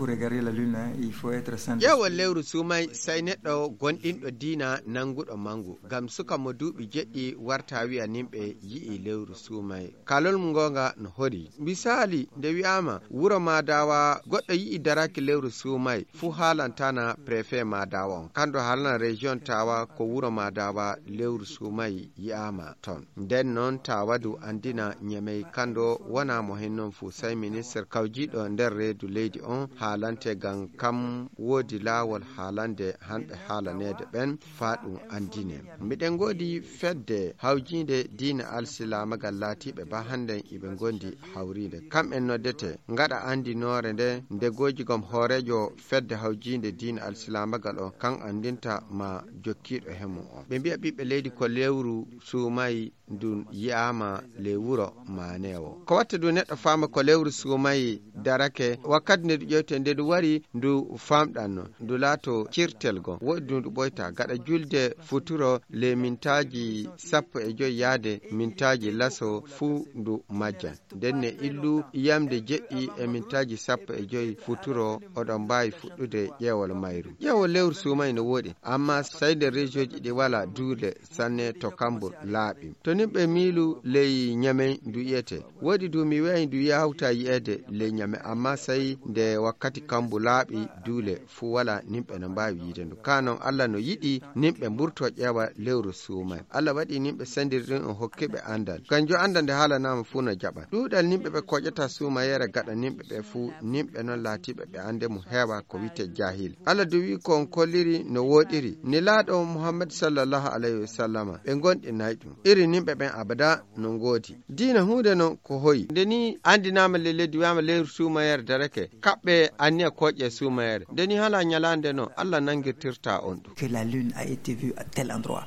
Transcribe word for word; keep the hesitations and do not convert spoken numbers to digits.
Pour regarder la lune, hein, il faut être sans ƴeewol lewru suumay, sey neɗɗo gonɗinɗo diina nannguɗo manngu. Ngam suka mo duuɓi jeɗɗi warta wi'a nimɓe yi'i lewru suumay. Kalol mum ngoonga no hori. Misaali, nde wi'aama wuro Maadawa goɗɗo yi'i daraki lewru suumay, fuu haalantana préfet Maadawa on. Kanɗo haalana région Tawa ko wuro Maadawa lewru suumay yi'aama ton. Nden non Tawa du anndina Ñamey kanɗo wona mo hen non fuu, sey ministre kawjiiɗo nder reedu leydi on haalante, ngam kam woodi laawol haalande hanɓe haalaneede ɓen faa ɗum anndine. Miɗen ngoodi fedde hawjiinde diina alsilaamagal laatiiɓe ba hannden iɓe ngondi hawriinde. Kam'en noddete ngaɗa anndinoore nde ndegooji gom hooreejo fedde hawjiinde diina alsilaamagal on kan anndinta ma jokkiiɗo he mum on. Ɓe mbi'a ɓiɓɓe leydi ko lewru suumay ndun yi'aama ley wuro maaneewo. Ko watta du neɗɗo faama ko lewru suumay darake, wakkati nde du ƴewte, nde du wari ndu famɗanno, ndu laato cirtel goo. Woodi du ndu ɓoyta gaɗa julde futuro ley mintaaji sappo e joy yaade mintaaji laso fuu ndu majjan. Nden ne illu yamde jeɗɗi e mintaaji sappo e joy futuro, oɗon mbaawi fuɗɗude ƴeewol mayru. Ƴeewol lewru suumay no wooɗi, amma sey nder région ji ɗi walaa duule sanne to Kambur laaɓi. To nimɓe miilu ley Ñamey ndu yi'ete. Woodi du mi wi'ay ndu yawta yi'eede ley Ñamey, amma sey nde wakkati Kambu laaɓi duule fuu walaa, nimɓe no mbaawi yi'ude ndu. Kaa non Alla no yiɗi nimɓe mburto ƴeewa lewru suumay. Alla waɗi nimɓe sendirɗi ɗum o hokki ɓe anndal. Kanjum anndal nde haalanaama fuu no jaɓa. Ɗuuɗal nimɓe ɓe koƴata suumayere gaɗa nimɓe ɓe fuu, nimɓe non laatiiɓe ɓe annde mum heewa ko wi'ete jaahil. Alla du wi'i ko on kolliri no wooɗiri. Nelaaɗo Muhammad sallallahu alayhi wa sallama, ɓe ngonɗinay ɗum. Iri nimɓe ɓen abada no ngoodi. Diina huunde non ko hoyi. Nde ni anndinaama ley leydi wi'aama lewru suumayere darake, kaɓɓe anniya koƴe suumayere. Nde ni hala ñalaande non Alla nangirtirta on ɗum. Que la lune a été vue à tel endroit.